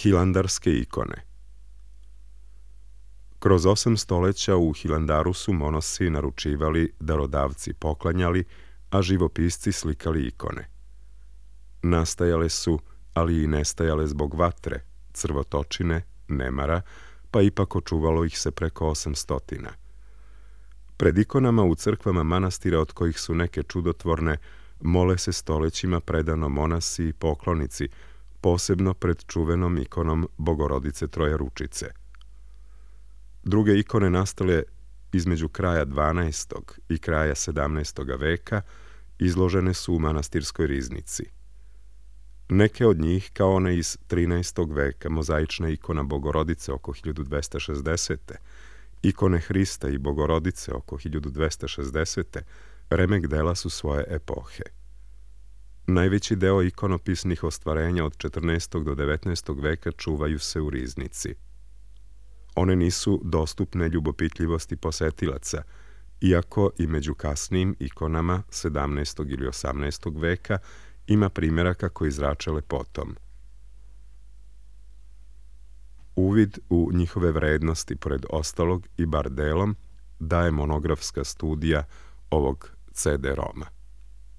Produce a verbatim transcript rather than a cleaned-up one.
Hilandarske ikone. Kroz osam stoleća u Hilandaru su monosi naručivali, darodavci poklanjali, a živopisci slikali ikone. Nastajale su, ali i nestajale zbog vatre, crvotočine, nemara, pa ipak očuvalo ih se preko osam stotina. Pred ikonama u crkvama manastira, od kojih su neke čudotvorne, mole se stolećima predano monasi i poklonici, posebno pred čuvenom ikonom Bogorodice Trojeručice. Druge ikone nastale između kraja dvanaestog i kraja sedamnaestog veka izložene su u manastirskoj riznici. Neke od njih, kao one iz trinaestog veka, mozaična ikona Bogorodice oko hiljadu dvesta šezdesete, ikone Hrista i Bogorodice oko hiljadu dvesta šezdesete, remek dela su svoje epohe. Najveći deo ikonopisnih ostvarenja od četrnaestog do devetnaestog veka čuvaju se u riznici. One nisu dostupne ljubopitljivosti posetilaca, iako i među kasnijim ikonama sedamnaestog ili osamnaestog veka ima primjeraka koji zrače lepotom. Uvid u njihove vrednosti, pored ostalog i bar delom, daje monografska studija ovog ce de roma.